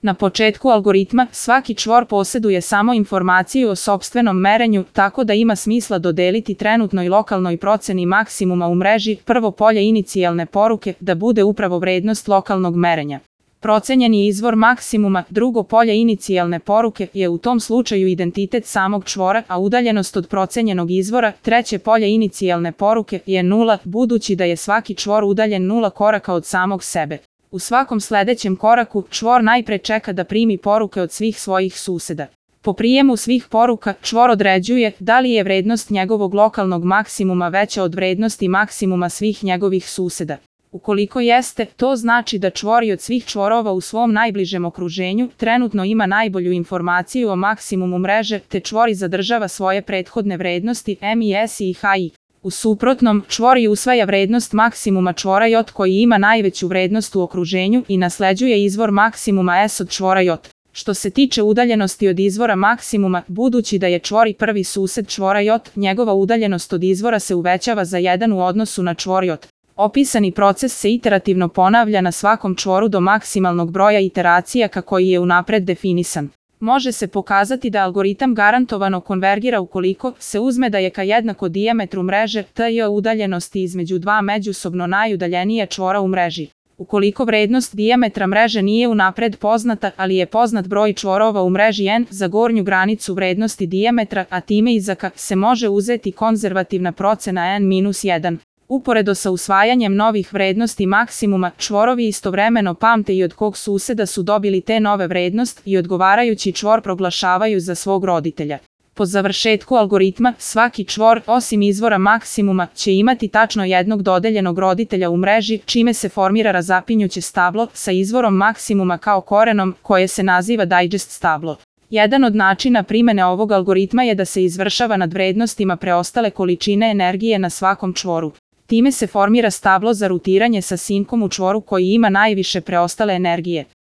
Na početku algoritma, svaki čvor posjeduje samo informaciju o sopstvenom merenju, tako da ima smisla dodeliti trenutnoj lokalnoj proceni maksimuma u mreži prvo polje inicijalne poruke da bude upravo vrednost lokalnog merenja. Procenjeni izvor maksimuma, drugo polje inicijalne poruke, je u tom slučaju identitet samog čvora, a udaljenost od procenjenog izvora, treće polje inicijalne poruke, je 0, budući da je svaki čvor udaljen 0 koraka od samog sebe. U svakom sljedećem koraku, čvor najpre čeka da primi poruke od svih svojih suseda. Po prijemu svih poruka, čvor određuje da li je vrednost njegovog lokalnog maksimuma veća od vrednosti maksimuma svih njegovih suseda. Ukoliko jeste, to znači da čvor od svih čvorova u svom najbližem okruženju trenutno ima najbolju informaciju o maksimumu mreže, te čvor zadržava svoje prethodne vrednosti MIS i HI. U suprotnom, čvor usvaja vrednost maksimuma čvora J koji ima najveću vrednost u okruženju i nasleđuje izvor maksimuma S od čvora J. Što se tiče udaljenosti od izvora maksimuma, budući da je čvor prvi sused čvora J, njegova udaljenost od izvora se uvećava za 1 u odnosu na čvor J. Opisani proces se iterativno ponavlja na svakom čvoru do maksimalnog broja iteracija kako je unapred definisan. Može se pokazati da algoritam garantovano konvergira ukoliko se uzme da je k jednako dijametru mreže TJ udaljenosti između dva međusobno najudaljenije čvora u mreži. Ukoliko vrednost dijametra mreže nije unapred poznata, ali je poznat broj čvorova u mreži n za gornju granicu vrednosti dijametra, a time i za k, se može uzeti konzervativna procena n-1. Uporedo sa usvajanjem novih vrednosti maksimuma, čvorovi istovremeno pamte i od kog suseda su dobili te nove vrednost i odgovarajući čvor proglašavaju za svog roditelja. Po završetku algoritma, svaki čvor, osim izvora maksimuma, će imati tačno jednog dodeljenog roditelja u mreži, čime se formira razapinjuće stablo sa izvorom maksimuma kao korenom, koje se naziva digest stablo. Jedan od načina primjene ovog algoritma je da se izvršava nad vrednostima preostale količine energije na svakom čvoru. Time se formira stablo za rutiranje sa sinkom u čvoru koji ima najviše preostale energije.